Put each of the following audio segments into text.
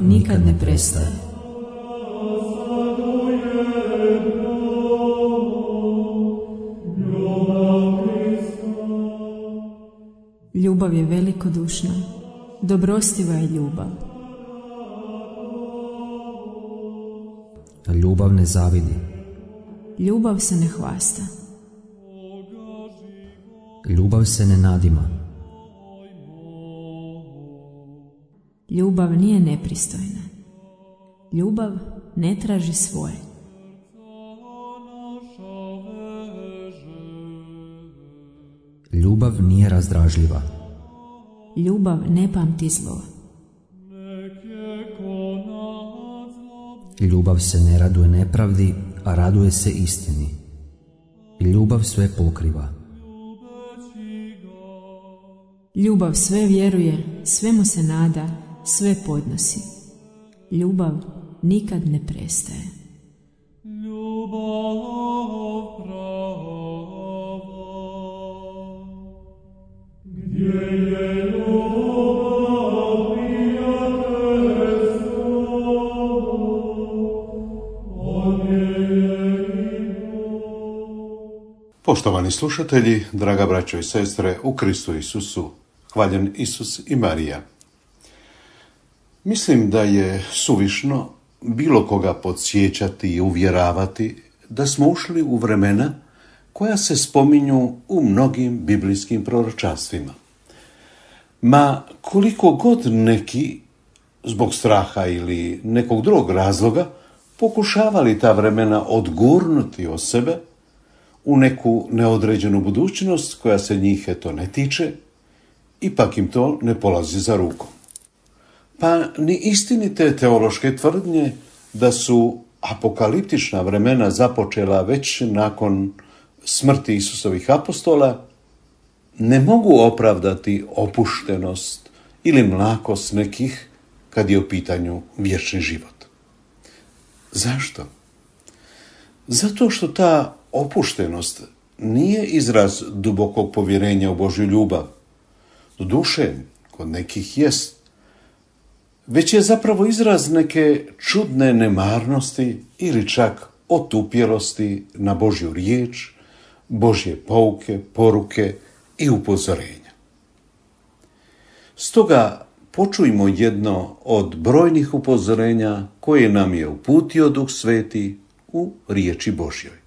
nikad ne prestaje. Ljubav je velikodušna, dobrostiva je ljubav. Ljubav ne zavidi. Ljubav se ne hvasta. Ljubav se ne nadima. Ljubav nije nepristojna. Ljubav ne traži svoje. Ljubav nije razdražljiva. Ljubav ne pamti zlo. Ljubav se ne raduje nepravdi, a raduje se istini. Ljubav sve pokriva. Ljubav sve vjeruje, svemu se nada, sve podnosi. Ljubav nikad ne prestaje. Poštovani slušatelji, draga braćo i sestre u Kristu Isusu, hvaljen Isus i Marija. Mislim da je suvišno bilo koga podsjećati i uvjeravati da smo ušli u vremena koja se spominju u mnogim biblijskim proročanstvima. Ma koliko god neki, zbog straha ili nekog drugog razloga, pokušavali ta vremena odgurnuti od sebe u neku neodređenu budućnost koja se njih ne tiče, ipak im to ne polazi za rukom. Pa ni istinite teološke tvrdnje da su apokaliptična vremena započela već nakon smrti Isusovih apostola ne mogu opravdati opuštenost ili mlakost nekih kad je u pitanju vječni život. Zašto? Zato što ta opuštenost nije izraz dubokog povjerenja u Božju ljubav. Doduše, kod nekih jest, već je zapravo izraz neke čudne nemarnosti ili čak otupjelosti na Božju riječ, Božje pouke, poruke i upozorenja. Stoga počujmo jedno od brojnih upozorenja koje nam je uputio Duh Sveti u riječi Božjoj.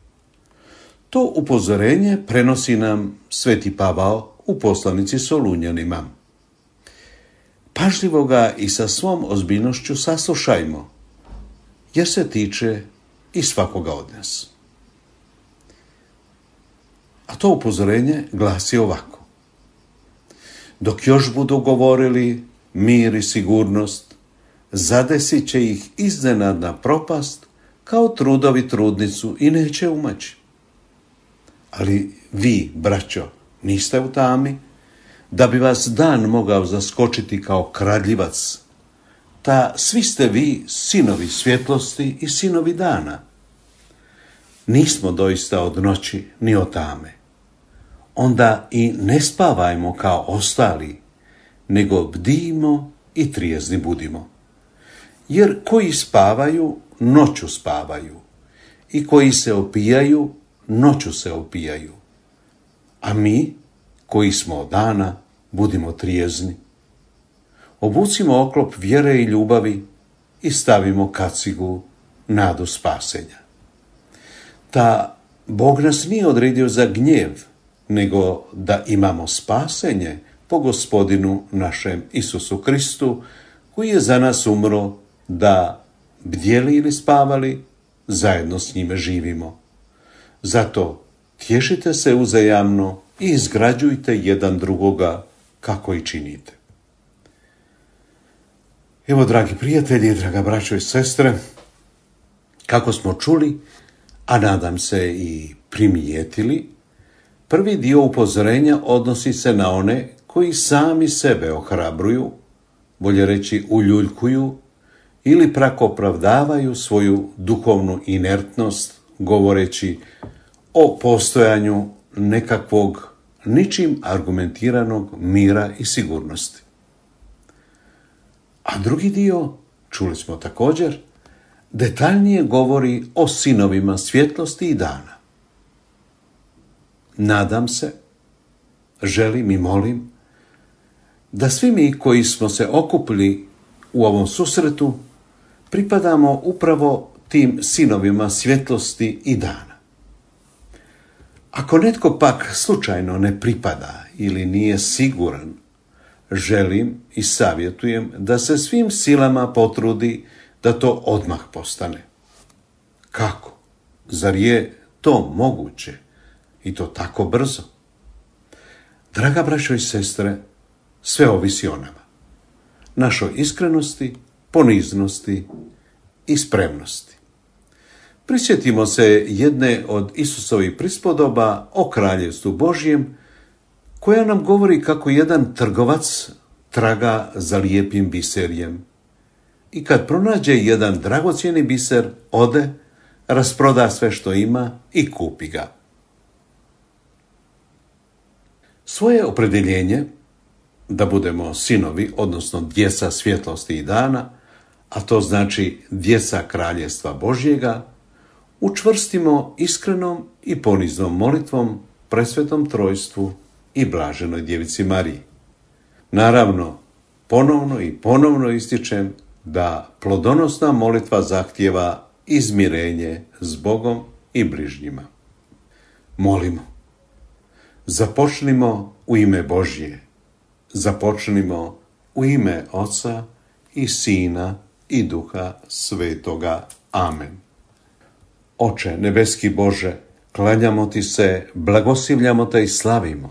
To upozorenje prenosi nam Sveti Pavao u poslanici Solunjanima. Pažljivo ga i sa svom ozbiljnošću saslušajmo, jer se tiče i svakoga od nas. A to upozorenje glasi ovako. Dok još budu govorili mir i sigurnost, zadesit će ih iznenadna propast kao trudovi trudnicu i neće umaći. Ali vi, braćo, niste u tami, da bi vas dan mogao zaskočiti kao kradljivac. Ta svi ste vi sinovi svjetlosti i sinovi dana. Nismo doista od noći ni od tame. Onda i ne spavajmo kao ostali, nego bdijmo i trijezni budimo. Jer koji spavaju, noću spavaju, i koji se opijaju, noću se opijaju. A mi, koji smo od dana, budimo trijezni. Obucimo oklop vjere i ljubavi i stavimo kacigu nadu spasenja. Ta Bog nas nije odredio za gnjev, nego da imamo spasenje po Gospodinu našem Isusu Kristu, koji je za nas umro da bdjeli ili spavali, zajedno s njime živimo. Zato tješite se uzajamno i izgrađujte jedan drugoga kako i činite. Evo, dragi prijatelji, draga braćo i sestre, kako smo čuli, a nadam se i primijetili, prvi dio upozorenja odnosi se na one koji sami sebe ohrabruju, bolje reći uljuljkuju, ili pak opravdavaju svoju duhovnu inertnost, govoreći o postojanju nekakvog ničim argumentiranog mira i sigurnosti. A drugi dio čuli smo također, detaljnije govori o sinovima svjetlosti i dana. Nadam se, želim i molim da svi mi koji smo se okupili u ovom susretu pripadamo upravo tim sinovima svjetlosti i dana. Ako netko pak slučajno ne pripada ili nije siguran, želim i savjetujem da se svim silama potrudi da to odmah postane. Kako? Zar je to moguće? I to tako brzo? Draga braćo i sestre, sve ovisi o nama. Našoj iskrenosti, poniznosti i spremnosti. Prisjetimo se jedne od Isusovih prispodoba o kraljevstvu Božjem, koja nam govori kako jedan trgovac traga za lijepim biserjem. I kad pronađe jedan dragocjeni biser, ode, rasproda sve što ima i kupi ga. Svoje opredjeljenje da budemo sinovi, odnosno djeca svjetlosti i dana, a to znači djeca kraljevstva Božjega, učvrstimo iskrenom i poniznom molitvom presvetom trojstvu i blaženoj djevici Mariji. Naravno, ponovno ističem da plodonosna molitva zahtijeva izmirenje s Bogom i bližnjima. Molimo. Započnimo u ime Božje. Započnimo u ime Oca i Sina i Duha Svetoga. Amen. Oče nebeski Bože, klanjamo ti se, blagoslivljamo te i slavimo.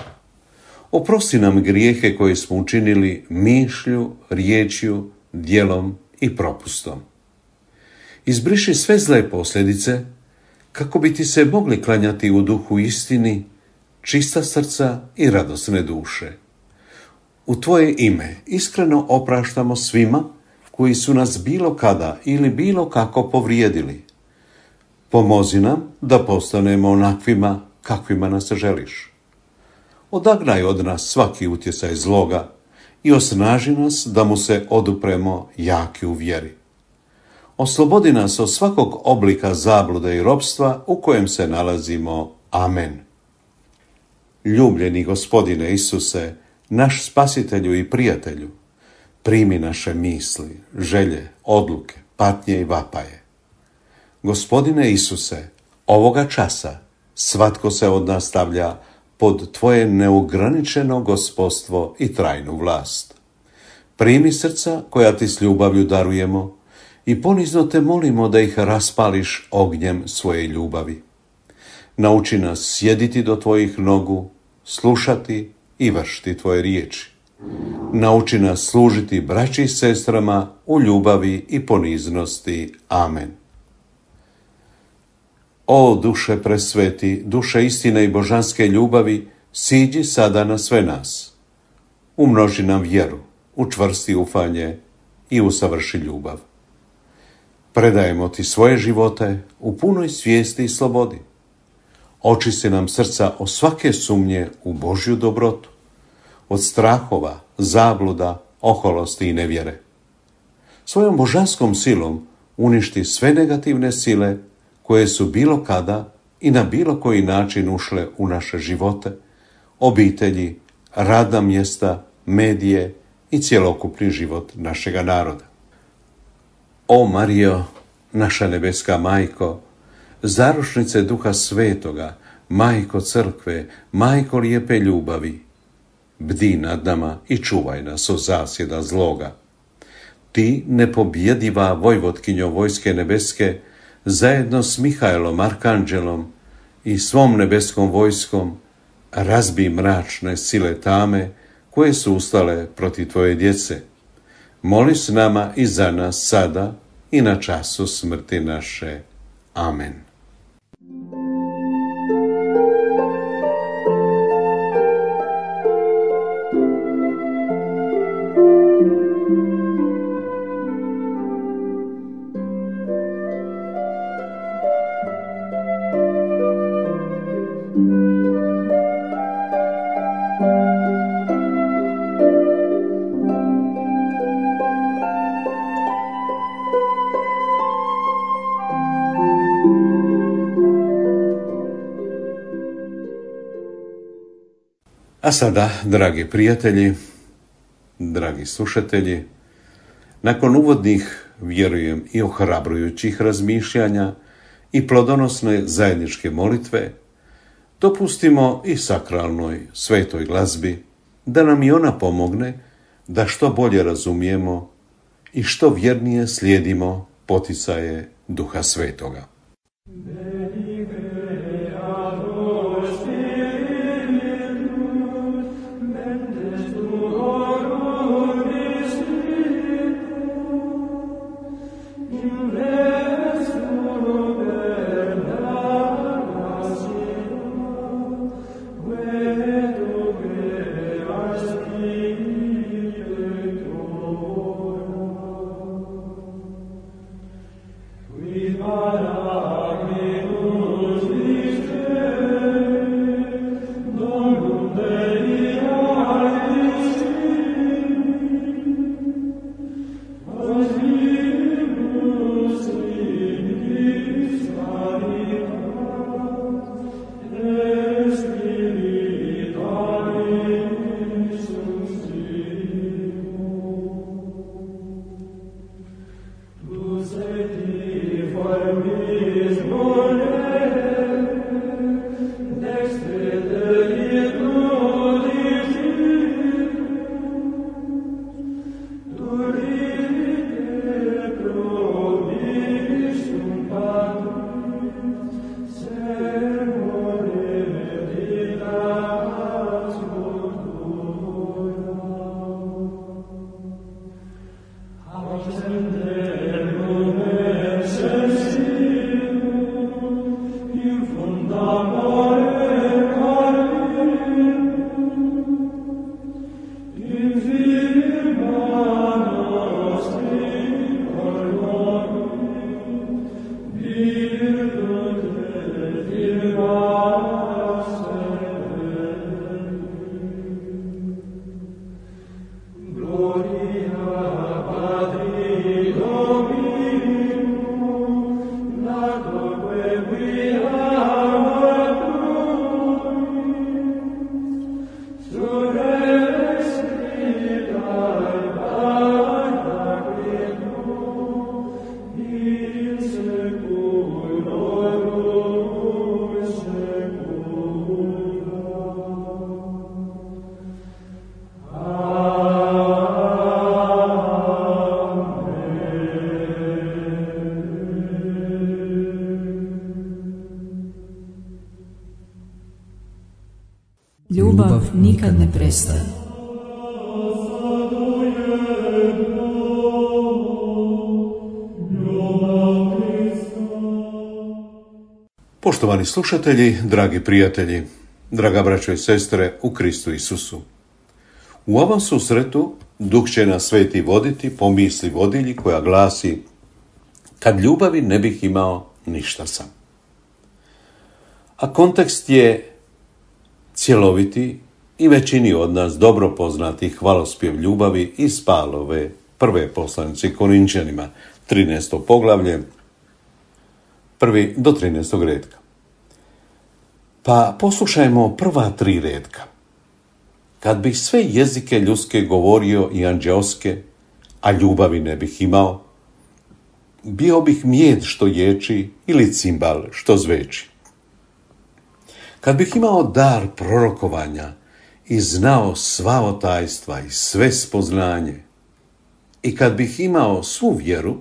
Oprosti nam grijehe koje smo učinili mišlju, riječju, djelom i propustom. Izbriši sve zle posljedice, kako bi ti se mogli klanjati u duhu istini, čista srca i radosne duše. U tvoje ime iskreno opraštamo svima koji su nas bilo kada ili bilo kako povrijedili. Pomozi nam da postanemo onakvima kakvima nas želiš. Odagnaj od nas svaki utjecaj zloga i osnaži nas da mu se odupremo jaki u vjeri. Oslobodi nas od svakog oblika zablude i ropstva u kojem se nalazimo. Amen. Ljubljeni Gospodine Isuse, naš spasitelju i prijatelju, primi naše misli, želje, odluke, patnje i vapaje. Gospodine Isuse, ovoga časa svatko se od nas stavlja pod tvoje neograničeno gospodstvo i trajnu vlast. Primi srca koja ti s ljubavlju darujemo i ponizno te molimo da ih raspališ ognjem svoje ljubavi. Nauči nas sjediti do tvojih nogu, slušati i vršiti tvoje riječi. Nauči nas služiti braći i sestrama u ljubavi i poniznosti. Amen. O duše presveti, duše istine i božanske ljubavi, siđi sada na sve nas. Umnoži nam vjeru, učvrsti ufanje i usavrši ljubav. Predajemo ti svoje živote u punoj svijesti i slobodi. Očisti nam srca od svake sumnje u Božju dobrotu, od strahova, zabluda, oholosti i nevjere. Svojom božanskom silom uništi sve negativne sile koje su bilo kada i na bilo koji način ušle u naše živote, obitelji, radna mjesta, medije i cjelokupni život našega naroda. O Marijo, naša nebeska majko, zaručnice Duha Svetoga, majko crkve, majko lijepe ljubavi, bdi nad nama i čuvaj nas od zasjeda zloga. Ti, nepobjediva vojvotkinjo vojske nebeske, zajedno s Mihajlom, arkanđelom i svom nebeskom vojskom, razbij mračne sile tame koje su ustale protiv tvoje djece. Moli s nama i za nas sada i na času smrti naše. Amen. A sada, dragi prijatelji, dragi slušatelji, nakon uvodnih, vjerujem, i ohrabrujućih razmišljanja i plodonosne zajedničke molitve, dopustimo i sakralnoj svetoj glazbi da nam i ona pomogne da što bolje razumijemo i što vjernije slijedimo poticaje Duha Svetoga. Ljubav nikad ne prestaje. Poštovani slušatelji, dragi prijatelji, draga braćo i sestre u Kristu Isusu. U ovom susretu Duh će nas sveti voditi po misli vodilji koja glasi: kad ljubavi ne bih imao, ništa sam. A kontekst je cjeloviti i većini od nas dobro poznati hvalospjev ljubavi iz Pavlove prve poslanice Korinčanima, 13. poglavlje, 1. do 13. retka. Pa poslušajmo prva 3 retka. Kad bih sve jezike ljudske govorio i anđeoske, a ljubavi ne bih imao, bio bih mjed što ječi ili cimbal što zveči. Kad bih imao dar prorokovanja i znao sva otajstva i sve spoznanje, i kad bih imao svu vjeru,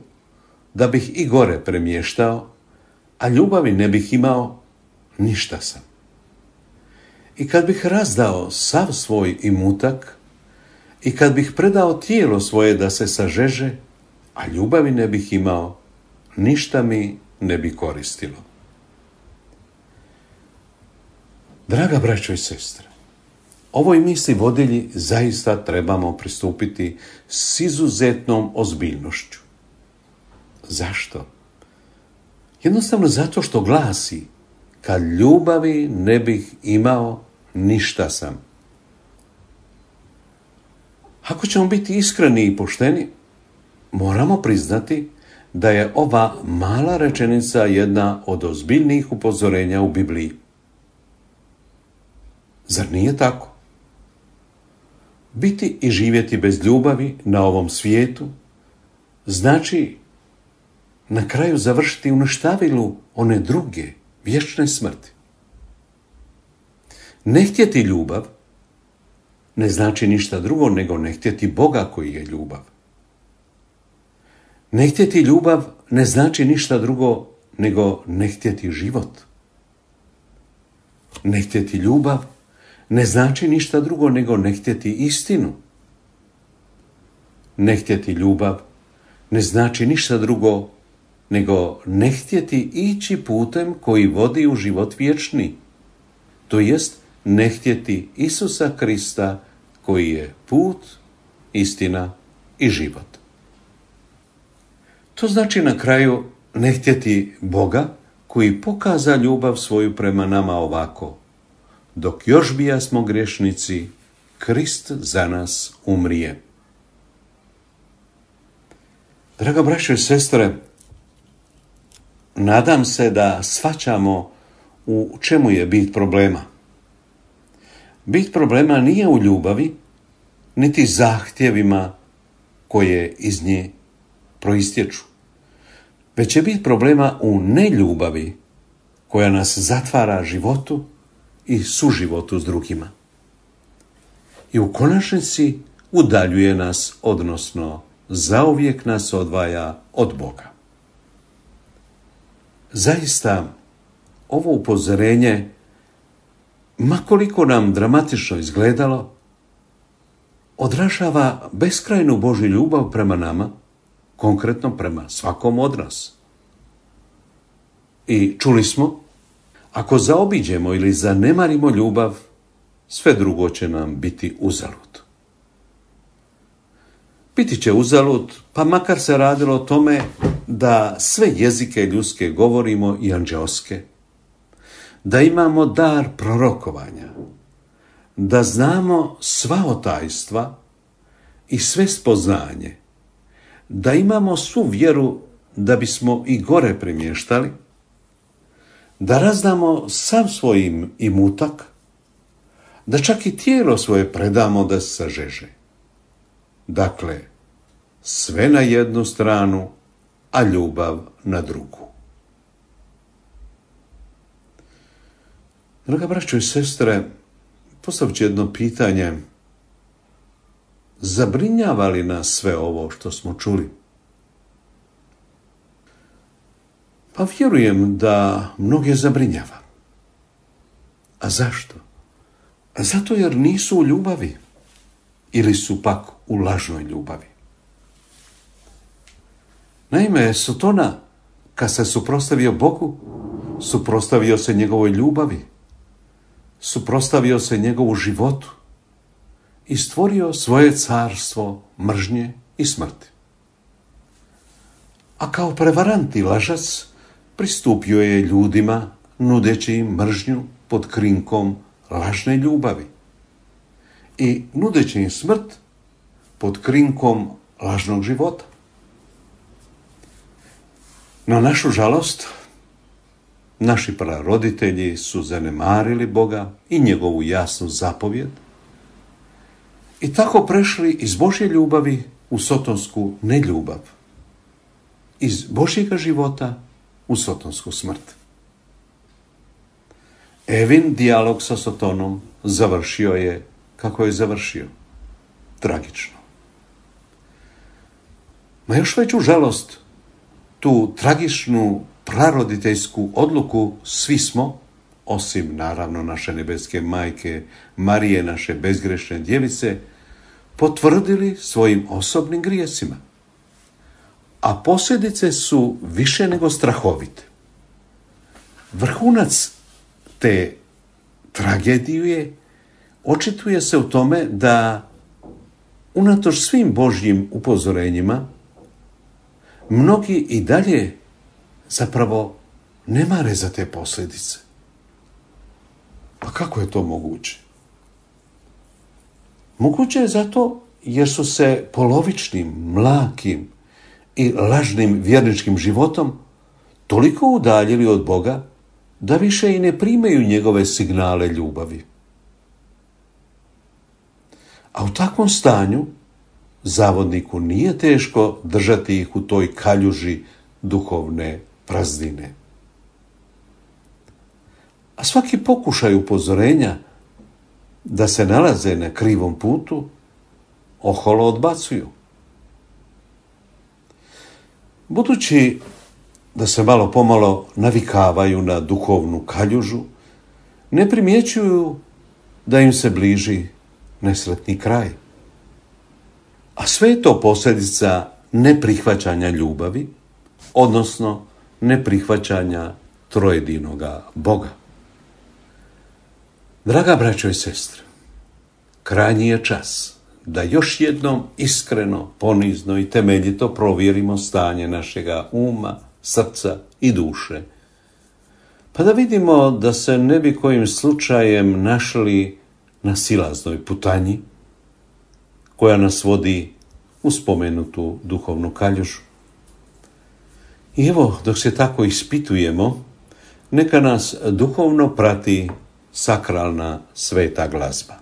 da bih i gore premještao, a ljubavi ne bih imao, ništa sam. I kad bih razdao sav svoj imutak, i kad bih predao tijelo svoje da se sažeže, a ljubavi ne bih imao, ništa mi ne bi koristilo. Draga braćo i sestre, ovoj misli vodilji zaista trebamo pristupiti s izuzetnom ozbiljnošću. Zašto? Jednostavno zato što glasi: kad ljubavi ne bih imao, ništa sam. Ako ćemo biti iskreni i pošteni, moramo priznati da je ova mala rečenica jedna od ozbiljnijih upozorenja u Bibliji. Zar nije tako? Biti i živjeti bez ljubavi na ovom svijetu znači na kraju završiti u uništavilu one druge, vječne smrti. Ne htjeti ljubav ne znači ništa drugo nego ne htjeti Boga koji je ljubav. Ne htjeti ljubav ne znači ništa drugo nego ne htjeti život. Ne htjeti ljubav ne znači ništa drugo nego ne htjeti istinu. Ne htjeti ljubav ne znači ništa drugo nego ne htjeti ići putem koji vodi u život vječni, to jest ne htjeti Isusa Krista koji je put, istina i život. To znači na kraju ne htjeti Boga koji pokaza ljubav svoju prema nama ovako: dok još bijasmo grešnici, Krist za nas umrije. Draga braćo i sestre, nadam se da shvaćamo u čemu je bit problema. Bit problema nije u ljubavi, niti zahtjevima koje iz nje proistječu, već je bit problema u neljubavi koja nas zatvara životu i suživotu s drugima. I u konačnici udaljuje nas, odnosno zauvijek nas odvaja od Boga. Zaista, ovo upozorenje, ma koliko nam dramatično izgledalo, odražava beskrajnu Božju ljubav prema nama, konkretno prema svakom od nas. I čuli smo, ako zaobiđemo ili zanemarimo ljubav, sve drugo će nam biti uzalud. Biti će uzalud, pa makar se radilo o tome da sve jezike ljudske govorimo i anđeoske, da imamo dar prorokovanja, da znamo sva otajstva i sve spoznanje, da imamo svu vjeru da bismo i gore premještali, da razdamo sav svoj imutak, da čak i tijelo svoje predamo da se sažeže. Dakle, sve na jednu stranu, a ljubav na drugu. Draga braćo i sestre, postavit ću jedno pitanje. Zabrinjava li nas sve ovo što smo čuli? Pa vjerujem da mnoge zabrinjava. A zašto? Zato jer nisu u ljubavi ili su pak u lažnoj ljubavi. Naime, Sotona, kad se suprotstavio Bogu, suprotstavio se njegovoj ljubavi, suprotstavio se njegovu životu i stvorio svoje carstvo mržnje i smrti. A kao prevarant i lažac pristupio je ljudima nudeći im mržnju pod krinkom lažne ljubavi i nudeći im smrt pod krinkom lažnog života. Na našu žalost, naši praroditelji su zanemarili Boga i njegovu jasnu zapovjed i tako prešli iz Božje ljubavi u sotonsku neljubav, iz Božjega života u sotonsku smrt. Evin dijalog sa Sotonom završio je kako je završio, tragično. Na još veću žalost, tu tragičnu praroditeljsku odluku svi smo, osim naravno naše nebeske majke Marije, naše bezgrešne djevice, potvrdili svojim osobnim grijesima. A posljedice su više nego strahovite. Vrhunac te tragedije očituje se u tome da unatoč svim Božjim upozorenjima mnogi i dalje zapravo ne mare za te posljedice. Pa kako je to moguće? Moguće je zato jer su se polovičnim, mlakim i lažnim vjerničkim životom toliko udaljili od Boga da više i ne primaju njegove signale ljubavi. A u takvom stanju zavodniku nije teško držati ih u toj kaljuži duhovne praznine. A svaki pokušaj upozorenja da se nalaze na krivom putu oholo odbacuju. Budući da se malo pomalo navikavaju na duhovnu kaljužu, ne primjećuju da im se bliži nesretni kraj. A sve je to posljedica neprihvaćanja ljubavi, odnosno neprihvaćanja trojedinoga Boga. Draga braćo i sestre, krajnji je čas da još jednom iskreno, ponizno i temeljito provjerimo stanje našega uma, srca i duše, pa da vidimo da se ne bi kojim slučajem našli na silaznoj putanji koja nas vodi u spomenutu duhovnu kaljužu. I evo, dok se tako ispitujemo, neka nas duhovno prati sakralna sveta glazba.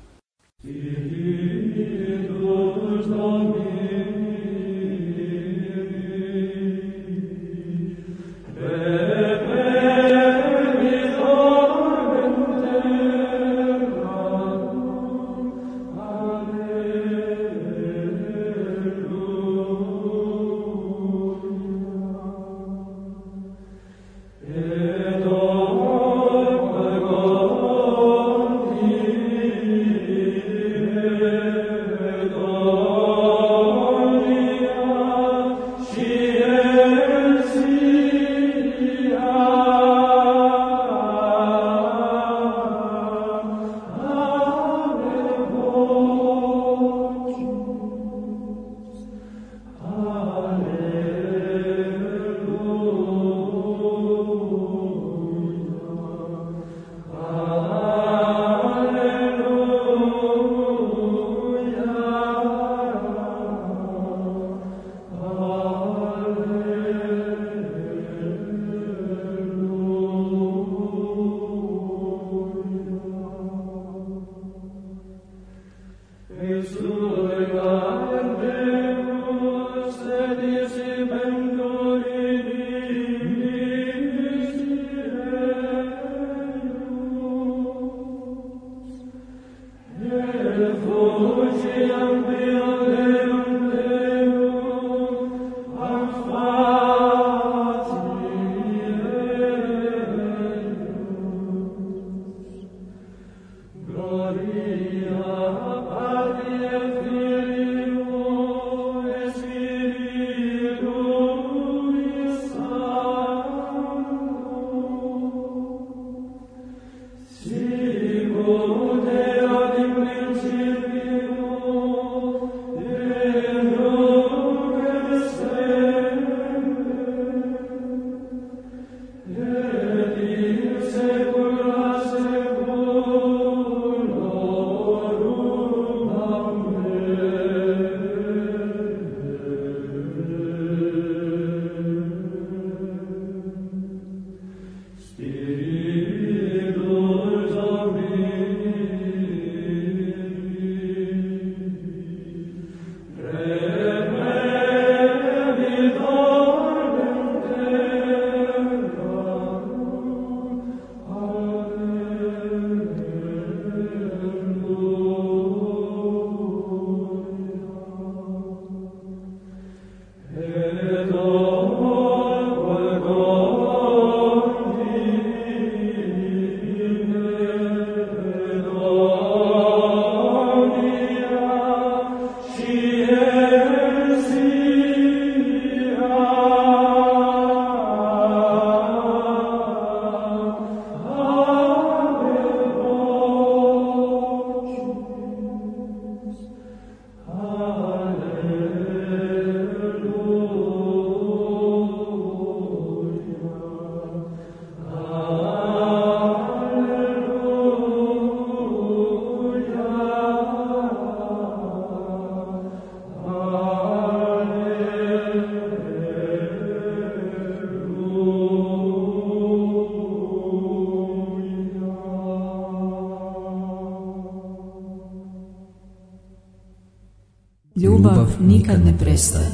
Ljubav nikad ne prestaje.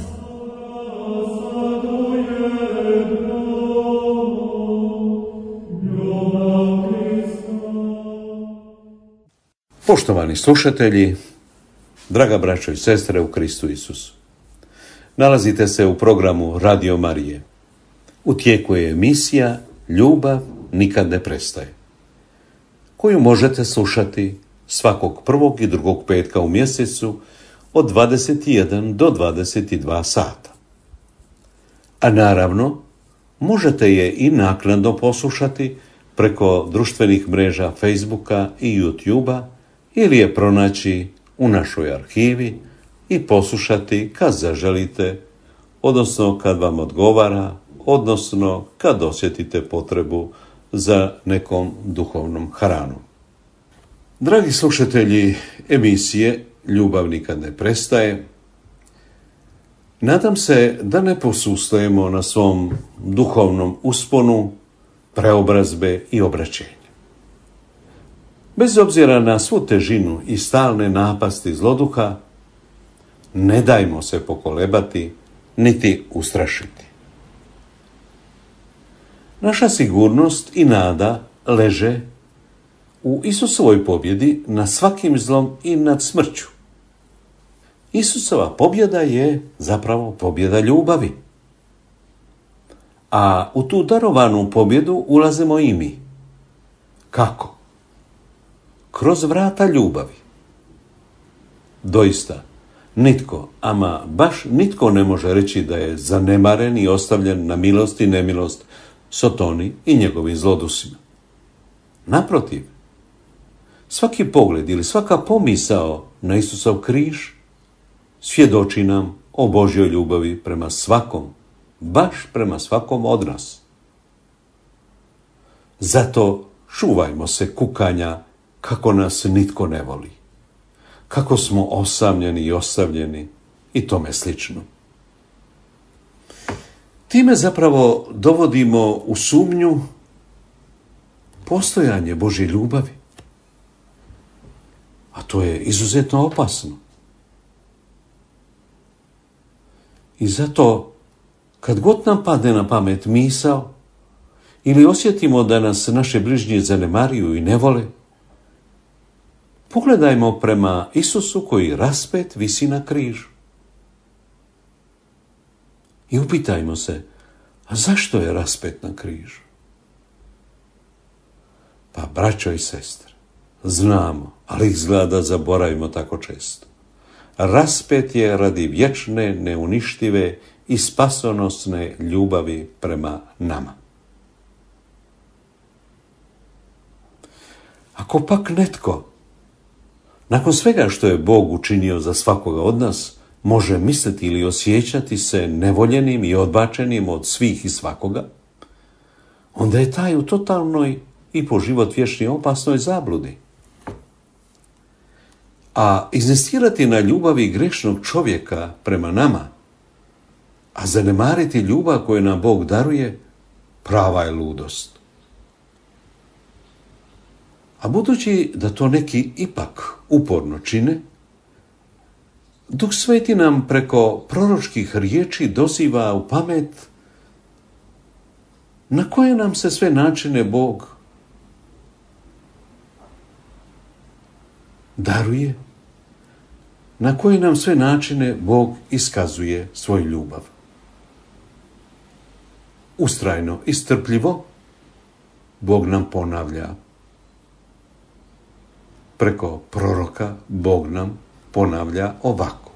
Poštovani slušatelji, draga braćo i sestre u Kristu Isusu, nalazite se u programu Radio Marije. U tijeku je emisija Ljubav nikad ne prestaje, koju možete slušati svakog prvog i drugog petka u mjesecu od 21 do 22 sata. A naravno, možete je i naknadno poslušati preko društvenih mreža Facebooka i YouTubea ili je pronaći u našoj arhivi i poslušati kad zaželite, odnosno kad vam odgovara, odnosno kad osjetite potrebu za nekom duhovnom hranom. Dragi slušatelji emisije Ljubav nikad ne prestaje, nadam se da ne posustajemo na svom duhovnom usponu, preobrazbe i obraćenja. Bez obzira na svu težinu i stalne napasti zloduha, ne dajmo se pokolebati niti ustrašiti. Naša sigurnost i nada leže u Isusovoj pobjedi nad svakim zlom i nad smrću. Isusova pobjeda je zapravo pobjeda ljubavi. A u tu darovanu pobjedu ulazimo i mi. Kako? Kroz vrata ljubavi. Doista, nitko, ama baš nitko ne može reći da je zanemaren i ostavljen na milost i nemilost Sotoni i njegovim zlodusima. Naprotiv, svaki pogled ili svaka pomisao na Isusov križ svjedoči nam o Božjoj ljubavi prema svakom, baš prema svakom od nas. Zato čuvajmo se kukanja kako nas nitko ne voli, kako smo osamljeni i ostavljeni i tome slično. Time zapravo dovodimo u sumnju postojanje Božje ljubavi, a to je izuzetno opasno. I zato, kad god nam padne na pamet misao ili osjetimo da nas naše bližnji zanemaruju i ne vole, pogledajmo prema Isusu koji raspet visi na križu. I upitajmo se, a zašto je raspet na križu? Pa, braćo i sestre, znamo, ali izgleda da zaboravimo tako često. Raspet je radi vječne, neuništive i spasonosne ljubavi prema nama. Ako pak netko, nakon svega što je Bog učinio za svakoga od nas, može misliti ili osjećati se nevoljenim i odbačenim od svih i svakoga, onda je taj u totalnoj i po život vječni opasnoj zabludi. A inzistirati na ljubavi grešnog čovjeka prema nama, a zanemariti ljubav koju nam Bog daruje, prava je ludost. A budući da to neki ipak uporno čine, Duh Sveti nam preko proročkih riječi doziva u pamet na koje nam se sve načine Bog daruje, na koje nam sve načine Bog iskazuje svoju ljubav. Ustrajno i strpljivo Bog nam ponavlja. Preko proroka Bog nam ponavlja ovako.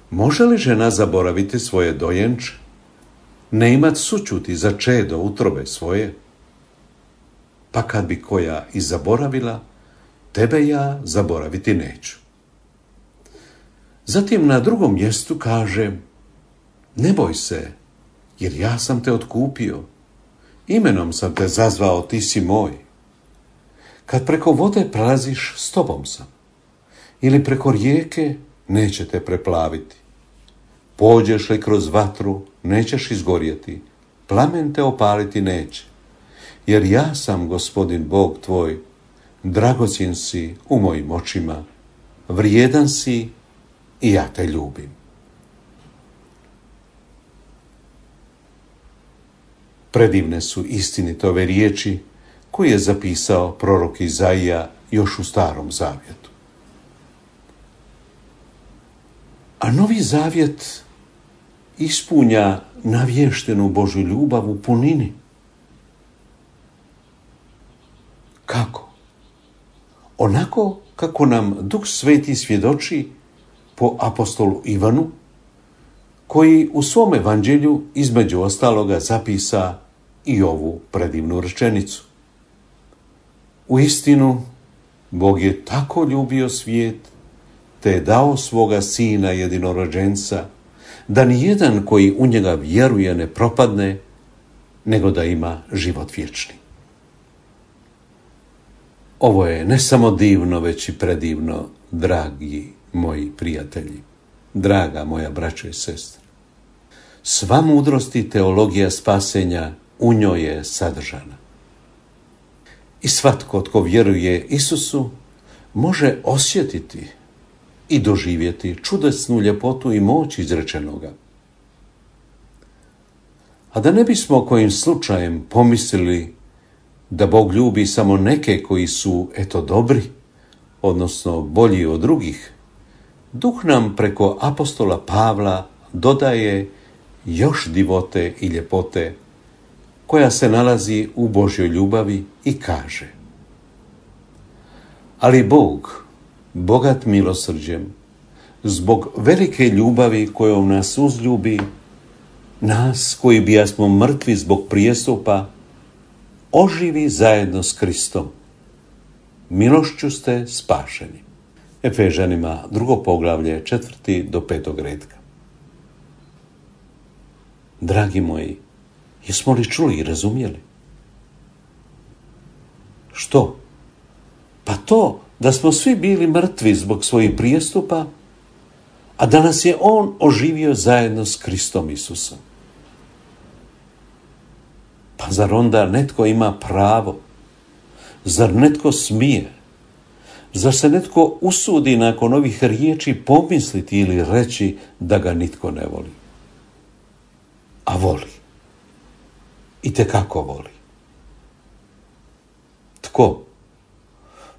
Može li žena zaboraviti svoje dojenče, ne imat sućuti za čedo utrobe svoje? Pa kad bi koja i zaboravila, tebe ja zaboraviti neću. Zatim na drugom mjestu kaže, ne boj se, jer ja sam te otkupio, imenom sam te zazvao, ti si moj. Kad preko vode prelaziš, s tobom sam. Ili preko rijeke, neće te preplaviti. Pođeš li kroz vatru, nećeš izgorjeti, plamen te opaliti neće. Jer ja sam Gospodin Bog tvoj, dragocjen si u mojim očima, vrijedan si i ja te ljubim. Predivne su istinite ove riječi koje je zapisao prorok Izaija još u Starom zavjetu. A Novi zavjet ispunja navještenu Božju ljubav u punini. Kako? Onako kako nam Duh Sveti svjedoči po apostolu Ivanu, koji u svom evanđelju između ostaloga zapisa i ovu predivnu rečenicu. Uistinu, Bog je tako ljubio svijet, te je dao svoga Sina jedinorođenca, da nijedan koji u njega vjeruje ne propadne, nego da ima život vječni. Ovo je ne samo divno, već i predivno, dragi moji prijatelji, draga moja braćo i sestre. Sva mudrost i teologija spasenja u njoj je sadržana. I svatko tko vjeruje Isusu može osjetiti i doživjeti čudesnu ljepotu i moć izrečenoga. A da ne bismo kojim slučajem pomislili da Bog ljubi samo neke koji su dobri, odnosno bolji od drugih, Duh nam preko apostola Pavla dodaje još divote i ljepote koja se nalazi u Božjoj ljubavi i kaže: ali Bog, bogat milosrđem, zbog velike ljubavi kojom nas uzljubi, nas koji bijasmo mrtvi zbog prijestupa, oživi zajedno s Kristom. Milošću ste spašeni. Efežanima 2. poglavlje 4. do 5. redka. Dragi moji, jesmo li čuli i razumjeli? Što? Pa to da smo svi bili mrtvi zbog svojih prijestupa, a da nas je On oživio zajedno s Kristom Isusom. Pa zar onda netko ima pravo? Zar netko smije? Zar se netko usudi nakon ovih riječi pomisliti ili reći da ga nitko ne voli? A voli. Itekako voli. Tko?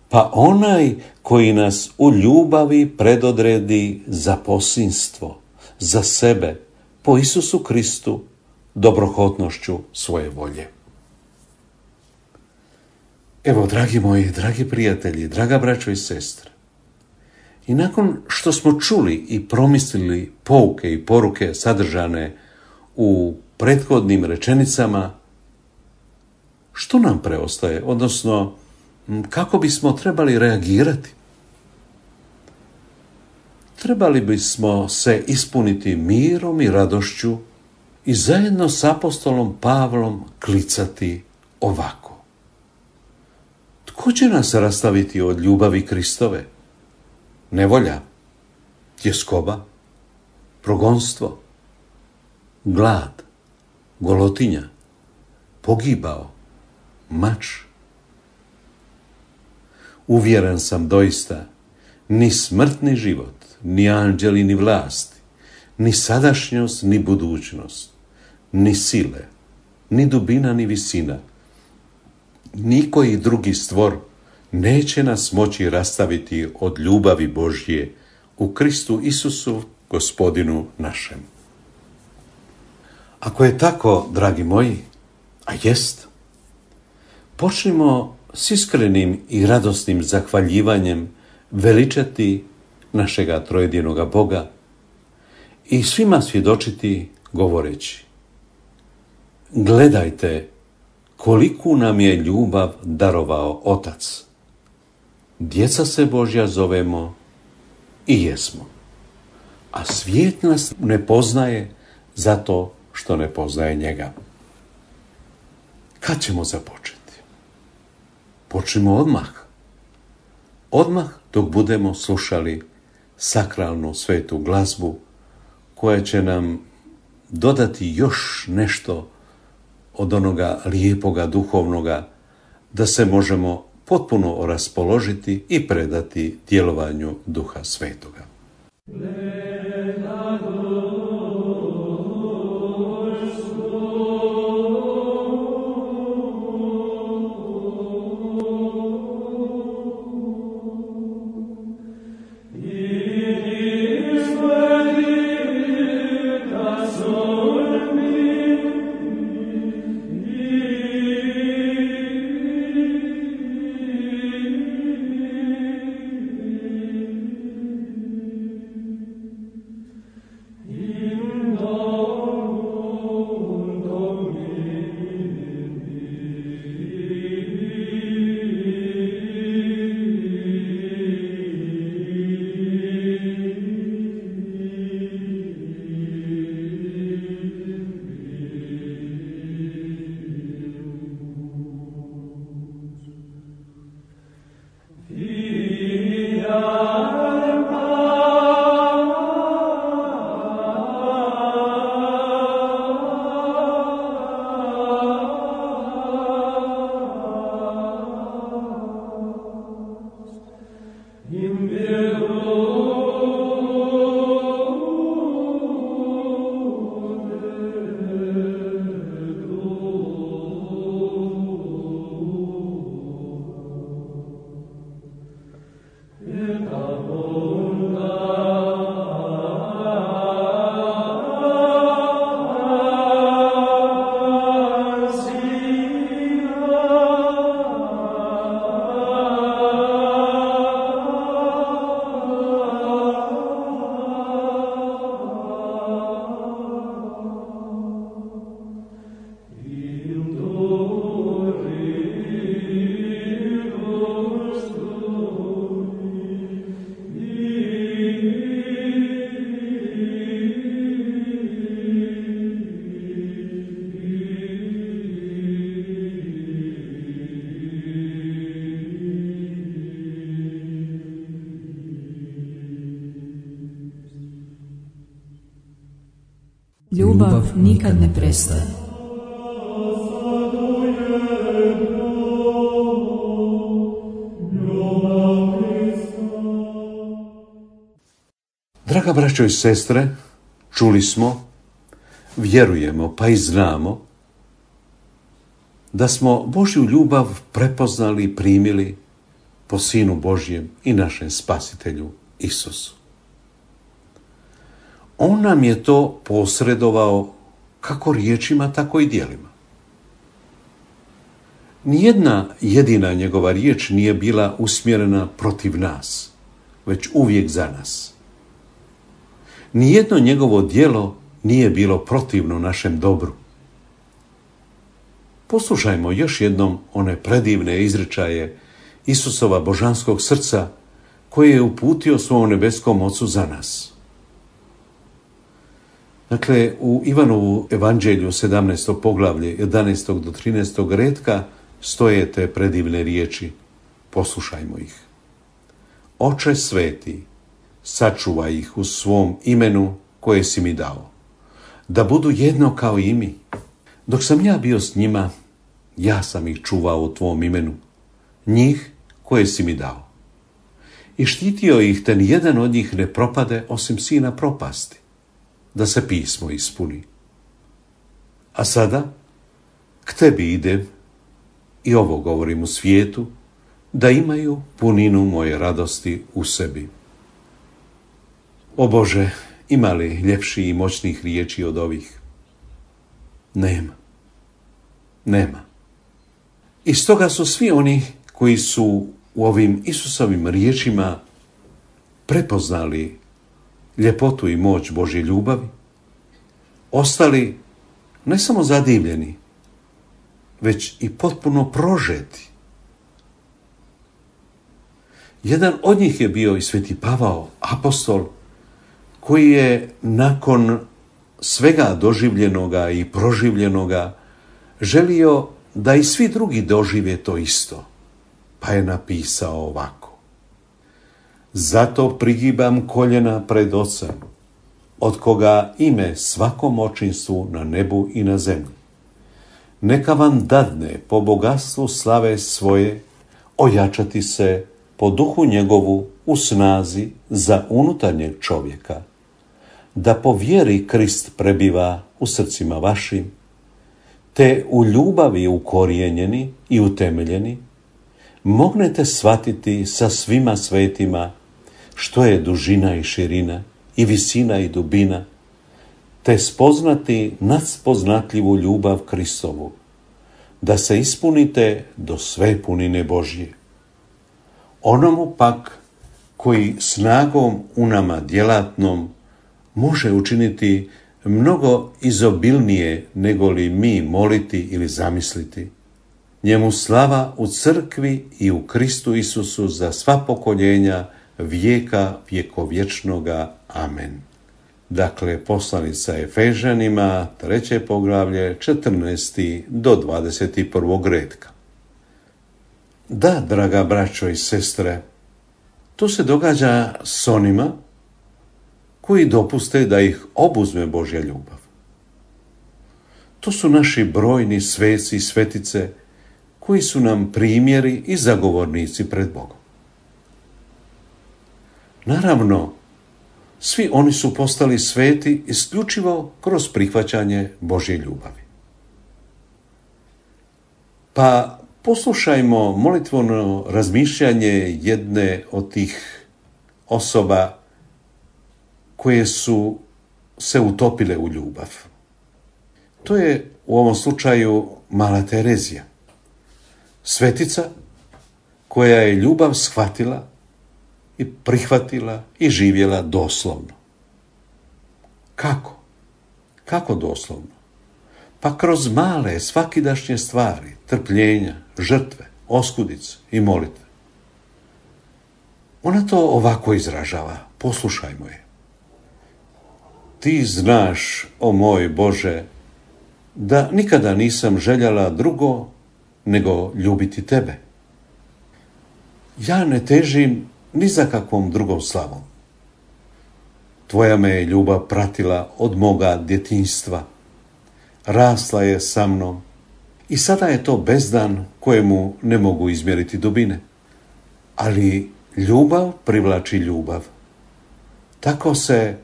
Pa onaj koji nas u ljubavi predodredi za posinstvo, za sebe, po Isusu Kristu, dobrohotnošću svoje volje. Evo, dragi moji, dragi prijatelji, draga braćo i sestre, i nakon što smo čuli i promislili pouke i poruke sadržane u prethodnim rečenicama, što nam preostaje, odnosno kako bismo trebali reagirati? Trebali bismo se ispuniti mirom i radošću i zajedno s apostolom Pavlom klicati ovako: tko će nas rastaviti od ljubavi Kristove? Nevolja, tjeskoba, progonstvo, glad, golotinja, pogibao, mač. Uvjeren sam doista, ni smrt ni život, ni anđeli ni vlasti, ni sadašnjost ni budućnost, ni sile, ni dubina ni visina, nikoji drugi stvor neće nas moći rastaviti od ljubavi Božje u Kristu Isusu, Gospodinu našem. Ako je tako, dragi moji, a jest, počnimo s iskrenim i radosnim zahvaljivanjem veličati našega trojedinoga Boga i svima svjedočiti govoreći: gledajte koliku nam je ljubav darovao Otac. Djeca se Božja zovemo i jesmo. A svijet nas ne poznaje zato što ne poznaje njega. Kad ćemo započeti? Počnimo odmah. Odmah dok budemo slušali sakralnu svetu glazbu koja će nam dodati još nešto od onoga lijepoga duhovnoga, da se možemo potpuno raspoložiti i predati djelovanju Duha Svetoga. Ljubav nikad ne prestaje. Draga braćo i sestre, čuli smo, vjerujemo pa i znamo da smo Božju ljubav prepoznali i primili po Sinu Božjem i našem Spasitelju Isusu. On nam je to posredovao kako riječima, tako i djelima. Nijedna jedina njegova riječ nije bila usmjerena protiv nas, već uvijek za nas. Nijedno njegovo djelo nije bilo protivno našem dobru. Poslušajmo još jednom one predivne izričaje Isusova božanskog srca koje je uputio svom nebeskom Ocu za nas. Dakle, u Ivanovu evanđelju 17. poglavlje 11. do 13. retka stoje te predivne riječi. Poslušajmo ih. Oče sveti, sačuvaj ih u svom imenu koje si mi dao, da budu jedno kao i mi. Dok sam ja bio s njima, ja sam ih čuvao u tvom imenu, njih koje si mi dao. I štitio ih, te nijedan od njih ne propade osim sina propasti, da se pismo ispuni. A sada k tebi idem i ovo govorim u svijetu, da imaju puninu moje radosti u sebi. O Bože, ima li ljepših i moćnih riječi od ovih? Nema. Nema. I stoga su svi oni koji su u ovim Isusovim riječima prepoznali ljepotu i moć Božje ljubavi, ostali ne samo zadivljeni, već i potpuno prožeti. Jedan od njih je bio i sveti Pavao, apostol, koji je nakon svega doživljenoga i proživljenoga želio da i svi drugi dožive to isto, pa je napisao ovako. Zato prigibam koljena pred Ocem, od koga ime svakom očinstvu na nebu i na zemlji. Neka vam dadne po bogatstvu slave svoje ojačati se po duhu njegovu u snazi za unutarnjeg čovjeka, da po vjeri Krist prebiva u srcima vašim, te u ljubavi ukorijenjeni i utemeljeni, mognete shvatiti sa svima svetima što je dužina i širina i visina i dubina, te spoznati nadspoznatljivu ljubav Kristovu, da se ispunite do sve punine Božje. Onomu pak koji snagom u nama djelatnom može učiniti mnogo izobilnije nego li mi moliti ili zamisliti. Njemu slava u crkvi i u Kristu Isusu za sva pokoljenja vijeka vjekovječnoga. Amen. Dakle, poslanica Efežanima, 3. poglavlje, 14. do 21. retka. Da, draga braćo i sestre, To se događa s onima koji dopuste da ih obuzme Božja ljubav. To su naši brojni sveci i svetice koji su nam primjeri i zagovornici pred Bogom. Naravno, svi oni su postali sveti isključivo kroz prihvaćanje Božje ljubavi. Pa poslušajmo molitveno razmišljanje jedne od tih osoba koje su se utopile u ljubav. To je u ovom slučaju Mala Terezija, svetica koja je ljubav shvatila i prihvatila i živjela doslovno. Kako? Kako doslovno? Pa kroz male svakidašnje stvari, trpljenja, žrtve, oskudice i molitve. Ona to ovako izražava, poslušajmo je. Ti znaš, o moj Bože, da nikada nisam željela drugo nego ljubiti tebe. Ja ne težim ni za kakvom drugom slavom. Tvoja me je ljubav pratila od moga djetinjstva. Rasla je sa mnom i sada je to bezdan kojemu ne mogu izmjeriti dubine. Ali ljubav privlači ljubav. Tako se,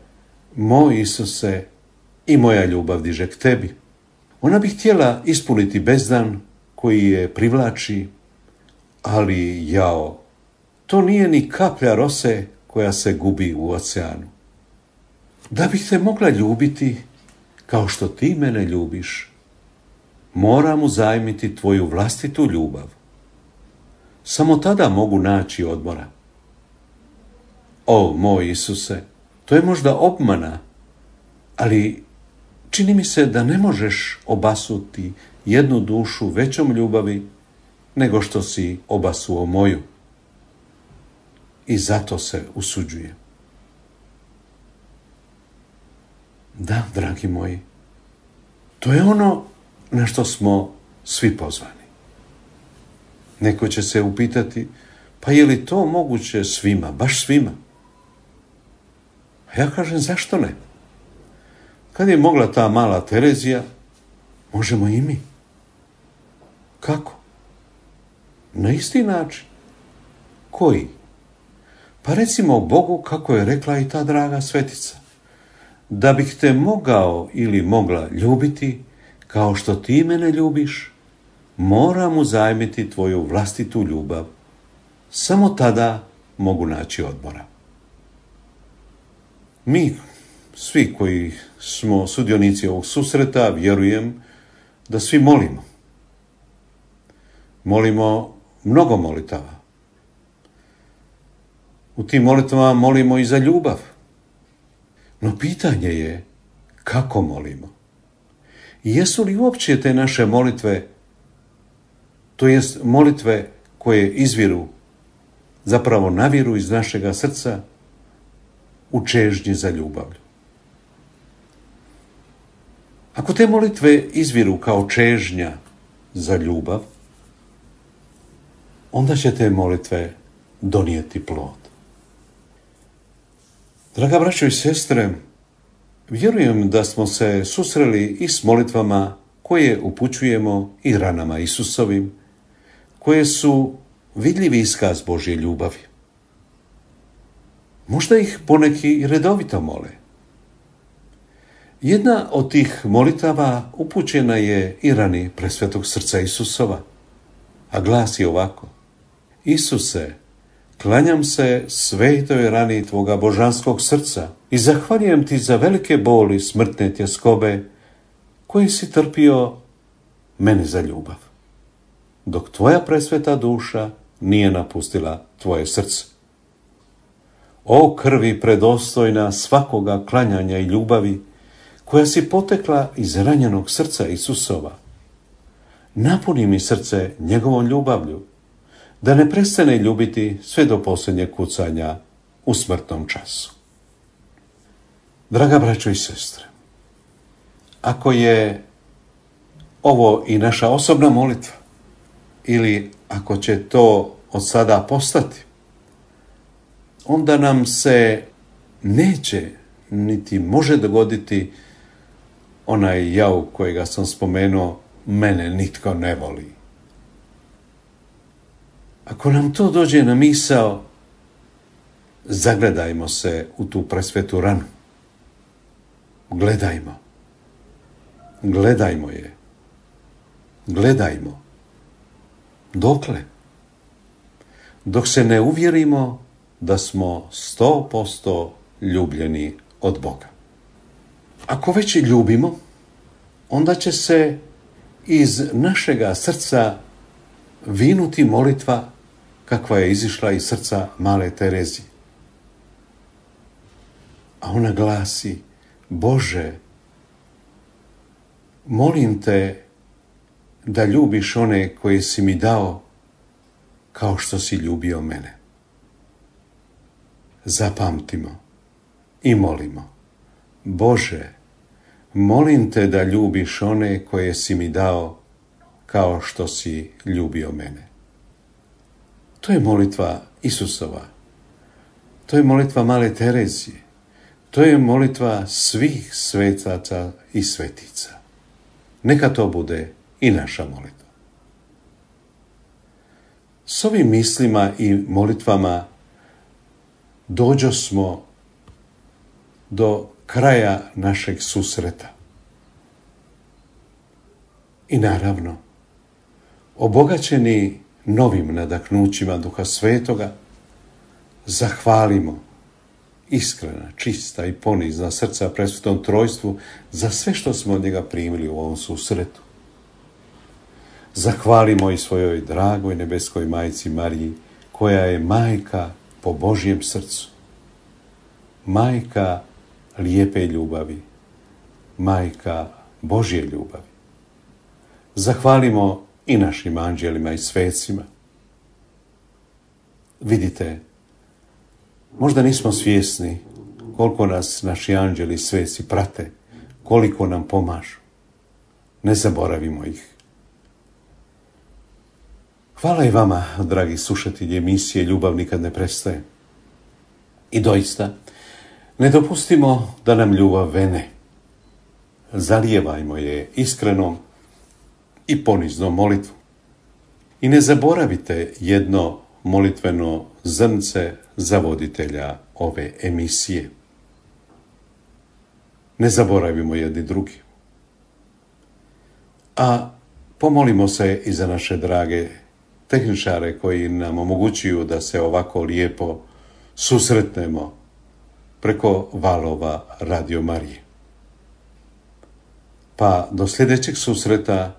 moj Isuse, i moja ljubav diže k tebi. Ona bi htjela ispuniti bezdan koji je privlači, ali jao, to nije ni kaplja rose koja se gubi u oceanu. Da bih te mogla ljubiti kao što ti mene ljubiš, moram uzajmiti tvoju vlastitu ljubav. Samo tada mogu naći odmora. O, moj Isuse, to je možda obmana, ali čini mi se da ne možeš obasuti jednu dušu većom ljubavi nego što si obasuo moju. I zato se usuđujem. Da, dragi moji, to je ono na što smo svi pozvani. Neko će se upitati, pa je li to moguće svima, baš svima? A ja kažem, zašto ne? Kad je mogla ta Mala Terezija, možemo i mi. Kako? Na isti način. Koji? Pa recimo Bogu kako je rekla i ta draga svetica. Da bih te mogao ili mogla ljubiti kao što ti mene ljubiš, moram uzajmiti tvoju vlastitu ljubav. Samo tada mogu naći odmora. Mi, svi koji smo sudionici ovog susreta, vjerujem da svi molimo. Molimo mnogo molitava. U tim molitvama molimo i za ljubav. No pitanje je kako molimo. I jesu li uopće te naše molitve, to jest molitve koje izviru, zapravo naviru iz našega srca u čežnji za ljubavlju. Ako te molitve izviru kao čežnja za ljubav, onda će te molitve donijeti plod. Draga braćo i sestre, vjerujem da smo se susreli i s molitvama koje upućujemo i ranama Isusovim, koje su vidljivi iskaz Božje ljubavi. Možda ih poneki i redovito mole. Jedna od tih molitava upućena je i rani presvetog srca Isusova, a glasi ovako: Isuse, klanjam se svetoj rani tvoga božanskog srca i zahvaljujem ti za velike boli smrtne tjeskobe koje si trpio meni za ljubav, dok tvoja presveta duša nije napustila tvoje srce. O krvi predostojna svakoga klanjanja i ljubavi, koja si potekla iz ranjenog srca Isusova, napuni mi srce njegovom ljubavlju, da ne prestane ljubiti sve do posljednjeg kucanja u smrtnom času. Draga braćo i sestre, ako je ovo i naša osobna molitva, ili ako će to od sada postati, onda nam se neće niti može dogoditi onaj jauk kojega sam spomenuo, mene nitko ne voli. Ako nam to dođe na misao, zagledajmo se u tu presvetu ranu. Gledajmo je. Gledajmo. Dokle? Dok se ne uvjerimo da smo 100% ljubljeni od Boga. Ako već i ljubimo, onda će se iz našega srca vinuti molitva kakva je izišla iz srca male Terezije. A ona glasi: Bože, molim te da ljubiš one koje si mi dao kao što si ljubio mene. Zapamtimo i molimo: Bože, molim te da ljubiš one koje si mi dao kao što si ljubio mene. To je molitva Isusova. To je molitva male Terezije. To je molitva svih svetaca i svetica. Neka to bude i naša molitva. S ovim mislima i molitvama dođosmo do kraja našeg susreta. I naravno, obogaćeni novim nadahnućima Duha Svetoga, zahvalimo iskrena, čista i ponizna srca presvetom trojstvu za sve što smo od njega primili u ovom susretu. Zahvalimo i svojoj dragoj nebeskoj majci Mariji, koja je majka po Božjem srcu, majka lijepe ljubavi, majka Božje ljubavi. Zahvalimo i našim anđelima i svecima. Vidite, možda nismo svjesni koliko nas naši anđeli i sveci prate, koliko nam pomažu. Ne zaboravimo ih. Hvala i vama, dragi slušatelji emisije Ljubav nikad ne prestaje. I doista, ne dopustimo da nam ljubav vene. Zalijevajmo je iskrenom i poniznom molitvom. I ne zaboravite jedno molitveno zrnce za voditelja ove emisije. Ne zaboravimo jedni drugi. A pomolimo se i za naše drage tehničare koji nam omogućuju da se ovako lijepo susretnemo preko valova Radio Marije. Pa do sljedećeg susreta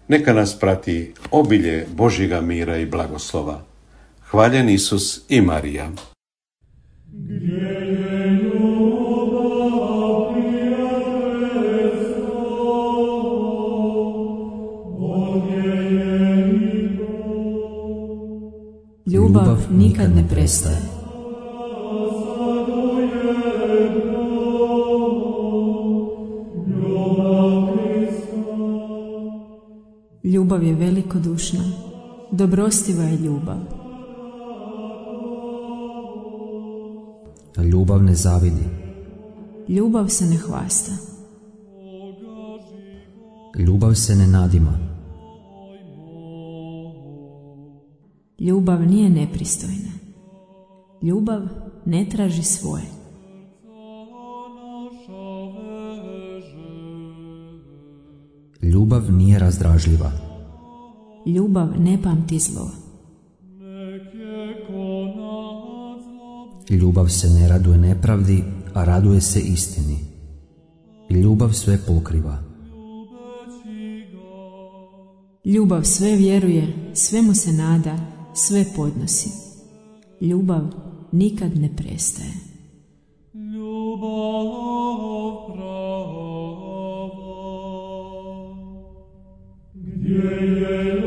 neka nas prati obilje Božjega mira i blagoslova. Hvaljen Isus i Marija. Ljubav nikad ne prestaje. Ljubav je velikodušna, dobrostiva je ljubav. Ljubav ne zavidi. Ljubav se ne hvasta. Ljubav se ne nadima. Ljubav nije nepristojna. Ljubav ne traži svoje. Ljubav nije razdražljiva. Ljubav ne pamti zlo. Ljubav se ne raduje nepravdi, a raduje se istini. Ljubav sve pokriva. Ljubav sve vjeruje, svemu se nada, sve podnosi. Ljubav nikad ne prestaje. Ljubav prava, gdje je